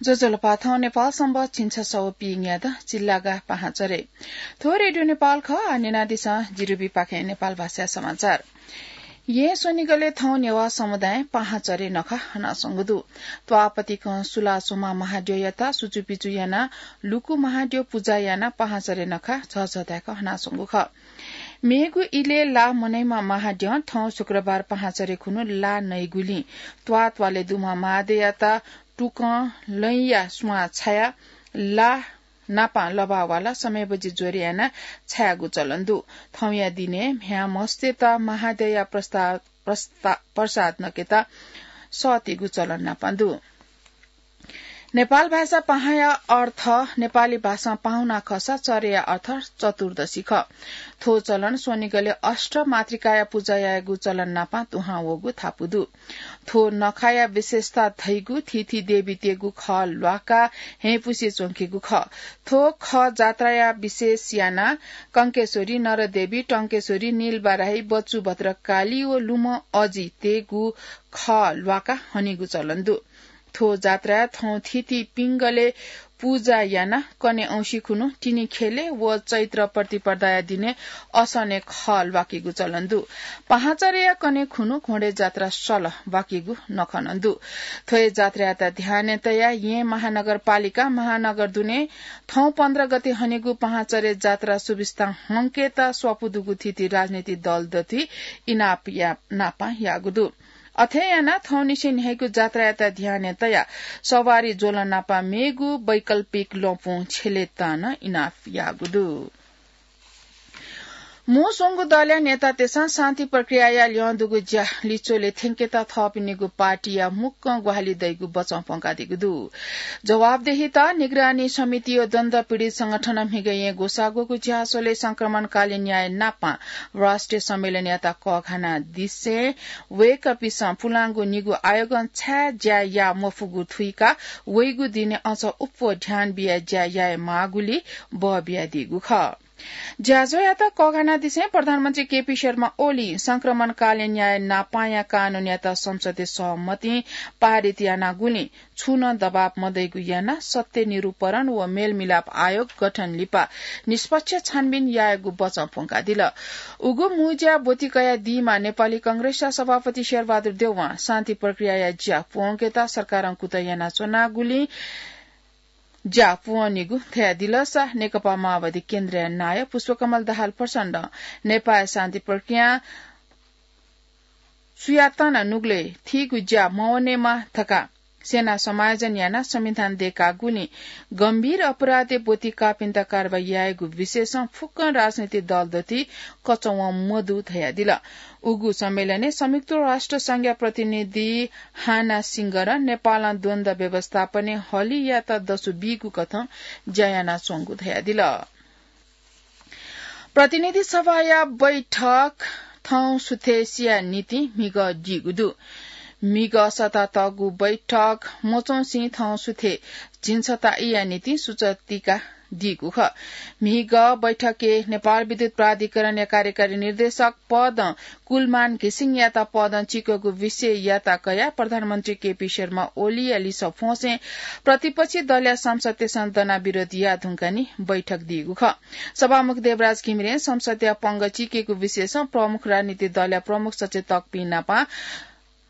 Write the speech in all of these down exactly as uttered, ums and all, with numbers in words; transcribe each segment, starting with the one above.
ज्वजलपा, थौं नेपाल संवत् झिंछसः व पीन्यादँ चिल्लागा पाहांचरे। थ्व रेडियो नेपाल खः, आः न्यनादिसँ जिरुबीपाखें नेपाल भाषाया समाचार। येँ स्वनिगलय् थौं नेवाः समुदायं पाहांचरे नखः हनाच्वंगु दु। त्वाःपतिकं सुलाच्वंम्ह महाद्यःयात सुचुपिचु यानाः लुकु महाद्यः पुजा यानाः पाहांचरे नखः झःझः धाय्क हनाच्वंगु खः। मेगु इलय् ला मनइम्ह महाद्यं थौं शुक्रबार पाहांचरे खुन्हु ला नइगुलिं त्वाःत्वालय् दुम्ह महाद्यःयात टुकं लँया स्वां छायाः ला नापं लभाः वालाः समय् बजि ज्वरे यानाः छायेगु चलन दु। थौंया दिनय् म्ह्याय् म्हस्तेत महाद्यःया प्रस्ता-, प्रस्ता-, प्रसाद नकेत सःतेगु चलन नापं दु। नेपाल भाषा पाहांया अर्थ, नेपाली भाषां पाहुना खःसा चरेया अर्थ चतुर्दशी खः। थ्व चलन स्वनिगलय् अष्टमातृकाया पुजा यायेगु चलन नापं दुहां वःगु धापू दु। थ्व नखाया विशेषता धइगु थीथी देवीतय्गु खः ल्वाकाः हँय्पुसे च्वंकेगु खः। थ्व खः जात्राया विशेष यानाः कंकेश्वरी, नरदेवी, टंकेश्वरी, नीलबाराही, बच्चु भद्रकाली व लुमं अजितय्गु खः ल्वाकाः हनेगु चलन दु। थ्व जात्राय् थौं थीथी पिंगलय् पुजा यानाः कन्हय् औंसी खुन्हु तिनि ख्यलय् व चैत्र प्रतिपदाया दिनय् असनय् खः ल्वाकेगु चलन दु। पाहांचरेया कन्हय् खुन्हु घोडे जात्रा सल ब्वाकेगु नखः नं दु। थ्व हे जात्रायात ध्यानय् तयाः येँ महानगरपालिकां महानगर दुने थौं पन्ध्र गते हनेगु पाहांचरे जात्रा सुविस्तां हंकेत स्वापू दुगु थीथी राजनीतिक दल दथुइ इनाप या-, नापं याःगु दु। अथे यानाः थौंनिसें न्ह्याइगु जात्रायात ध्यानय् तयाः सवारी ज्वलं नापं मेगु वैकल्पिक ल्वपुं छ्यलेत नं इनाप याःगु दु। मू स्वंगू दलया नेतातय्सं शान्ति प्रक्रियाया ल्यं दुगु ज्या लिच्वले थ्यंकेत थःपिनिगु पार्टीया मुक्कं ग्वाहालि दइगु बचं प्वंकादीगु दु। जवाफदेहिता निगरानी समिति व द्वन्द्व पीडित संगठनं म्हिगः येँ ग्वसाः ग्वःगु झ्याःस्वलय् संक्रमणकालीन न्याय नापं राष्ट्रिय सम्मेलनयात कःघानादिसें वय्कःपिसं पुलांगु निगू आयोगं छाय् ज्या याः मफुगु थुइकाः वइगु दिनय् अझ अप्वः ध्यान बियाः ज्या याये माःगुलिइ बः बियादीगु खः। ज्याझ्वःयात कःघानादिसें प्रधानमन्त्री केपी शर्मा ओलीं संक्रमणकालीन न्याय नापांया कानूनयात संसदय् सहमतिं पारित यानागुलिं छुं नं दबाब मदइगु यानाः सत्य निरूपण व मेलमिलाप आयोग गठन लिपा निष्पक्ष छानबिन यायेगु बचं प्वंकादिल। उगु मू ज्या ब्वति कयादीम्ह नेपाली कांग्रेसया सभापति शेरबहादुर देउवां शान्ति प्रक्रियाया ज्या प्वंकेत सरकारं कुतः यानाच्वनागुलिं ज्या प्वंनिगु धयादिलसा नेकपा माओवादी केन्द्रया नायः पुष्पकमल दाहाल प्रचण्डं नेपाःया शान्ति प्रक्रियां सुयातं नं नुगलय् थीगु ज्या मवनेमा धकाः सेना समायोजन यानाः संविधान दय्कागुलिं गम्भीर अपराधय् ब्वति काःपिन्त कारवाही यायेगु विषयसं फुक्कं राजनीतिक दल दथुइ कचवं मदु धयादिल। उगु सम्मेलनय् संयुक्त राष्ट्र संघया प्रतिनिधि हाना सिंगरं नेपालं द्वन्द्व व्यवस्थापनय् हलियात दसु बीगु कथं ज्या यानाच्वंगु धयादिल। प्रतिनिधि सभाया बैठक थौं सुथय्सिया निंतिं म्हिगः दीगु दु। म्हिगः सःतातःगु बैठक मच्वंसें थौं सुथय् झिंछता इया निंतिं सुचय् तिकादीगु खः। म्हिगः बैठकय् नेपाल विद्युत प्राधिकरणया कार्यकारी निर्देशक पदं कुलमान घिसिङयात पदं चीकःगु विषययात कयाः प्रधानमन्त्री केपी शर्मा ओलीया लिसः फ्वंसें प्रतिपक्षी दलया सांसदतय्सं दनाः विरोध याः धुंकाः निं बैठक दीगु खः। सभामुख देवराज घिमिरें संसदया पंगः चीकेगु विषयसं प्रमुख राजनीतिक दलया प्रमुख सचेतकपिं नाप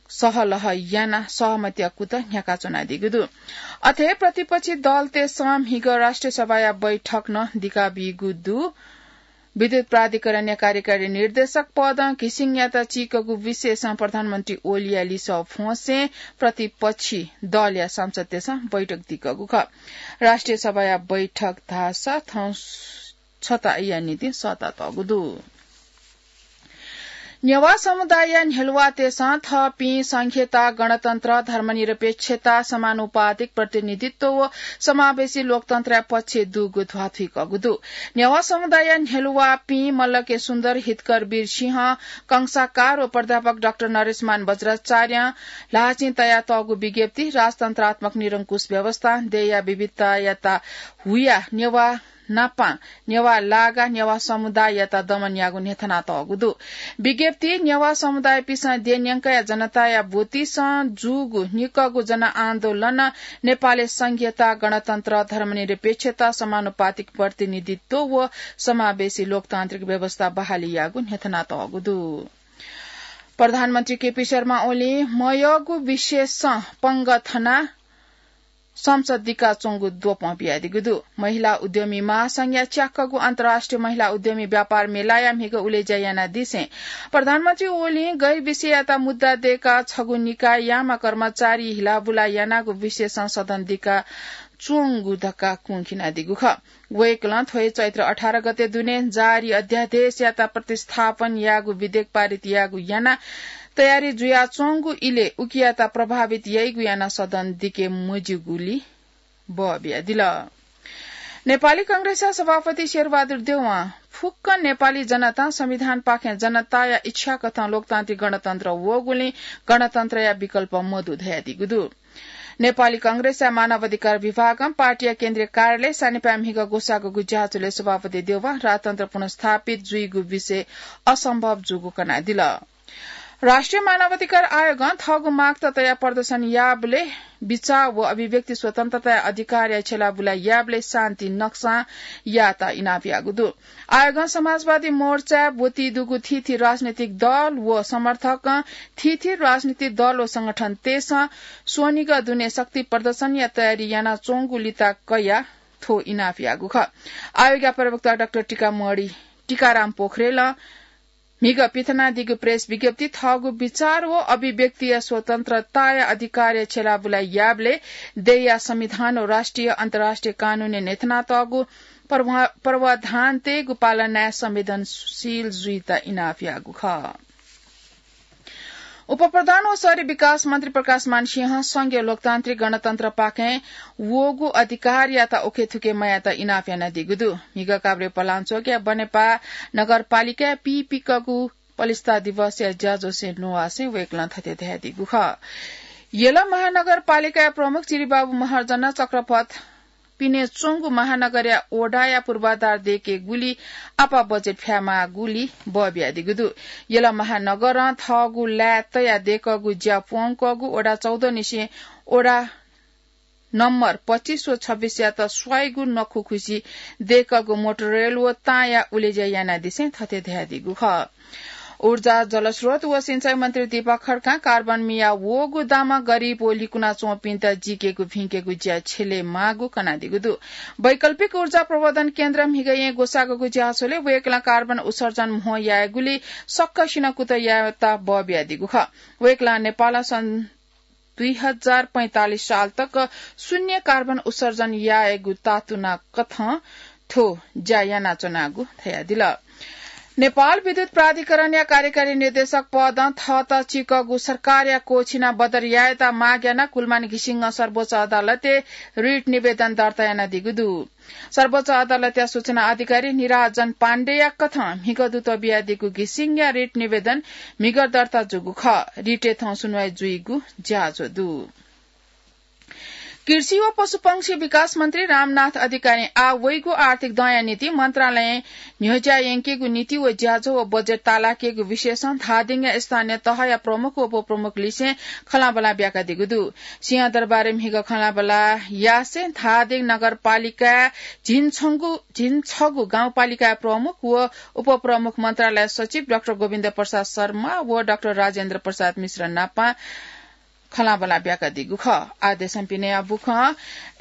सहलह यानाः सहमतिया कुतः न्ह्याकाच्वनादीगु दु। अथे प्रतिपक्षी दलतय्सं म्हिगः राष्ट्रिय सभाया बैठक नं दिकाबीगु दु। विद्युत प्राधिकरणया कार्यकारी निर्देशक पदं घिसिङयात चीकःगु विषयसं प्रधानमन्त्री ओलीया लिसः फ्वंसें प्रतिपक्षी दलया सांसदतय्सं बैठक दिकःगु खः। राष्ट्रिय सभाया बैठक धाःसा थौं छताया निंतिं सःतातःगु दु। नेवाः समुदायया न्ह्यलुवातय्सं थःपिं संघीयता, गणतन्त्र, धर्मनिरपेक्षता, समानुपातिक प्रतिनिधित्व व समावेशी लोकतन्त्रया पक्षय् दुगु ध्वाथुइकःगु दु। नेवाः समुदायया न्ह्यलुवापिं मल्ल के सुन्दर, हितकर वीर सिंह, कंसाकार व प्राध्यापक डाक्टर नरेशमान बज्राचार्यं ल्हाःचिं तयातःगु विज्ञप्ति राजतन्त्रात्मक निरंकुश व्यवस्था, देय्या विविधतायात हुयाः नेवाः नापां नेवाः लागा नेवाः समुदाययात दमन याःगु न्ह्यथनातःगु दु। विज्ञप्ति नेवाः समुदायपिसं देन्यंकया जनताया ब्वतिसं जूगु निक्कगु जनआन्दोलन नेपालय् संघीयता, गणतन्त्र, धर्मनिरपेक्षता, समानुपातिक प्रतिनिधित्व व समावेशी लोकतान्त्रिक व्यवस्था बहाली याःगु न्ह्यथनातःगु दु। प्रधानमन्त्री केपी शर्मा ओलीं मयःगु विषयसं पंगः थनाः संसद दिकाच्वंगु द्वपं बियादीगु दु। महिला उद्यमी महासंघया च्याक्कगु अन्तर्राष्ट्रिय महिला उद्यमी व्यापार मेलाया म्हिगः उलेज्या यानादिसें प्रधानमन्त्री ओलीं गैर विषययात मुद्दा दय्काः छगू निकाययाम्ह कर्मचारी हिलाबुला यानागु विषयसं सदन दिकाच्वंगु धकाः कुंखिनादीगु खः। वय्कलं थ्व हे चैत्र अठार गते दुने जारी अध्यादेशयात प्रतिस्थापन याःगु विधेयक पारित याःगु यानाः तयारी जुयाच्वंगु इलय् उकियात प्रभावित याइगु यानाः सदन दिके मज्यूगुली बः बियादिल। नेपाली कांग्रेसया सभापति शेरबहादुर देउवां फुक्क नेपाली जनतां संविधानपाखें जनताया इच्छाकथं लोकतान्त्रिक गणतन्त्र वःगुलिं गणतन्त्रया विकल्प मदु धयादीगु दु। नेपाली कांग्रेसया मानव अधिकार विभागं पार्टीया केन्द्रीय कार्यालय सानिपाय् म्हिगः ग्वसाःगु ज्याझ्वलय् सभापति देउवां राजतन्त्र पुनर्स्थापित जुइगु विषय असम्भव जूगु कनादिल। राष्ट्रिय मानव अधिकार आयोगं थःगु मागत तयाः प्रदर्शन याःबलय् बिचाः व अभिव्यक्ति स्वतन्त्रताया अधिकारया छ्यलाबुला याःबलय् शान्ति नक्सां याःत इनाप याःगु दु। आयोगं समाजवादी मोर्चाय् ब्वति दुगु थीथी राजनैतिक दल व समर्थकं थीथी राजनैतिक दल व संगठनतय्सं स्वनिगः दुने शक्ति प्रदर्शनया तयारी यानाच्वंगु लिता कयाः थ्व इनाप याःगु खः। आयोगया प्रवक्ता डाक्टर टीकामणि टीकाराम पोखरेलं म्हिगः पिथनादीगु प्रेस विज्ञप्ति थःगु विचार व अभिव्यक्तिया स्वतन्त्रताया अधिकारया छ्यलाबुला याःबलय् देय्या संविधान व राष्ट्रिय अन्तर्राष्ट्रिय कानूनय् न्ह्यथनातःगु प्रवा-, प्रावधानतय्गु पालनाय् संवेदनशील जुइत इनाप याःगु खः। उपप्रधान व शहरी विकास मन्त्री प्रकाशमान सिंहं संघीय लोकतान्त्रिक गणतन्त्रपाखें वःगु अधिकारयात उखेथुखे मयायेत इनाप यानादीगु दु। म्हिगः काभ्रे पलाञ्चोकया बनेपा नगरपालिकाय् पीपिकःगु पलिस्था दिवसया ज्याझ्वलय् न्ववासें वय्कलं थथे धयादीगु खः। यल महानगरपालिकाया प्रमुख चिरिबाबु महर्जनं चक्रपथ पिने च्वंगु महानगरया वडाया पूर्वाधार दय्केगुली आपाः बजेट फ्यायेमाःगुली बः बियादीगु दु। यल महानगरं थःगु लाय् तयाः दय्कःगु ज्या प्वंकःगु वडा चौध निसें वडा नम्बर पच्चिस व छब्बिसयात स्वाइगु नखुखुसी दय्कःगु मोटोरेल व ताँया उलेज्या यानादिसें थथे धयादीगु खः। ऊर्जा, जलस्रोत व सिँचाइ मन्त्री दीपक खड्कां कार्बन मिया वःगु दामं गरिब व लिकुना च्वंपिन्त जीकेगु भिंकेगु ज्या छ्यले माःगु कनादीगु दु। वैकल्पिक ऊर्जा प्रवर्धन केन्द्र म्हिगःया ग्वसाःगु ज्याझ्वलय् वय्कलं कार्बन उत्सर्जन म्हो यायेगुली सकसिनं कुतः यायेत बः बियादीगु खः। वय्कलं नेपालं सन् दुई हजार पैंतालिस साल तक शून्य कार्बन उत्सर्जन यायेगु तातुना कथं थ्व ज्या यानाच्वनागु धयादिल। नेपाल विद्युत प्राधिकरणया कार्यकारी निर्देशक पदं थःत चिकःगु सरकारया कोःछिना बदर यायेत माग यानाः कुलमान घिसिङं सर्वोच्च अदालतय् रिट निवेदन दर्ता यानादीगु दु। सर्वोच्च अदालतया सूचना अधिकारी निराजन पाण्डेया कथं म्हिगः दुत बियादीगु घिसिङया रिट निवेदन म्हिगः दर्ता जूगु खः। रिटय् थौं सुनवाई जुइगु ज्याझ्वः दु। कृषि व पशुपंक्षी विकास मन्त्री रामनाथ अधिकारीं आः वइगु आर्थिक दँया निंतिं मन्त्रालयं न्ह्यज्या यंकेगु नीति व ज्याझ्वः व बजेट तालाकेगु विषयसं धादिङया स्थानीय तहया प्रमुख व उपप्रमुख लिसें खँल्हाबल्हा ब्याकादीगु दु। सिंहदरबारय् म्हिगः खँल्हाबल्हा यासें धादिङ नगरपालिकाय् झिंछगू, झिंछगू गाउँपालिकाया प्रमुख व उपप्रमुख मन्त्रालय सचिव डाक्टर गोविन्द प्रसाद शर्मा व डाक्टर राजेन्द्र प्रसाद मिश्र नापं खँल्हाबल्हा ब्याकादीगु खः। आः देशं पिने बुखँ।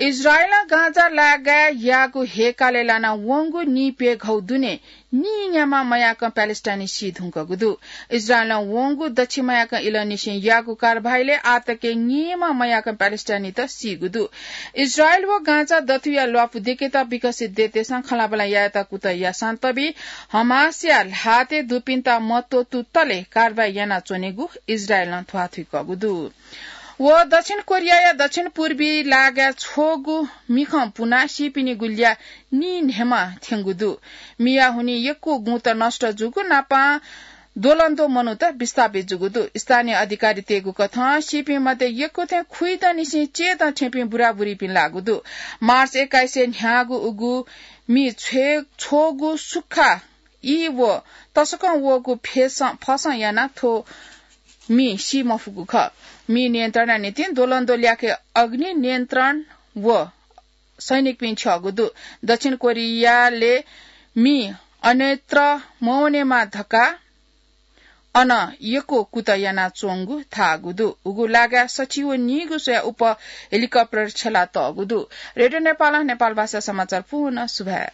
इजरायलं गाजा लागाय् याःगु हेकालय् लाना वंगु नीप्यघौ दुने नीन्याम्ह मयाकं प्यालेस्टाइनी सी धुंकूगु दु। इजरायलं वंगु दच्छि मयाकं इलंनिसें याःगु कारवाहीलय् आःतकं नीम्ह मयाकं प्यालेस्टाइनीत सीगु दु। इजरायल व गाजा दथुया ल्वापु दय्केत विकसित देशतय्सं खँल्हाबल्हा यायेत कुतः याःसां तबि हमासया ल्हातय् दुपिन्त मत्वःतुतले कारवाही यानाच्वनेगु इजरायलं ध्वाथुइकूगु दु। व दक्षिण कोरियाया दक्षिण पूर्वी लागाय् छगू मिखं पुनाः सीपिनिगु ल्याः नीन्हय्म्ह थ्यंगु दु। मिया हुनिं यक्व गुँत नष्ट जूगु नापं द्वलंद्व मनूत विस्थापित जूगु दु। स्थानीय अधिकारीतय्गु कथं सीपिं मध्ये यक्व थें खुइदँ निसें चय्दँ थ्यंपिं बुराबुरीपिं लाःगु दु। मार्च एक्काइसय् न्ह्याःगु उगु मि छ्वय्-, छ्वःगु सुख्खा ई व तसकं वःगु फेसं, फसं यानाः थ्व मि सी मफुगु खः। मि नियन्त्रणया निंतिं द्वलंद्व ल्याखय् अग्नि नियन्त्रण व सैनिकपिं छ्यःगु दु। दक्षिण कोरियाले मि अन्यत्र मवनेमा धकाः अन यक्व कुतः यानाच्वंगु धाःगु दु। उगु लागाय् सछि व नीगू स्वया उप हेलिकप्टर छ्यला तःगु दु। रेडियो नेपालं नेपाल भाषा समाचार पूर्ण सुभाय्।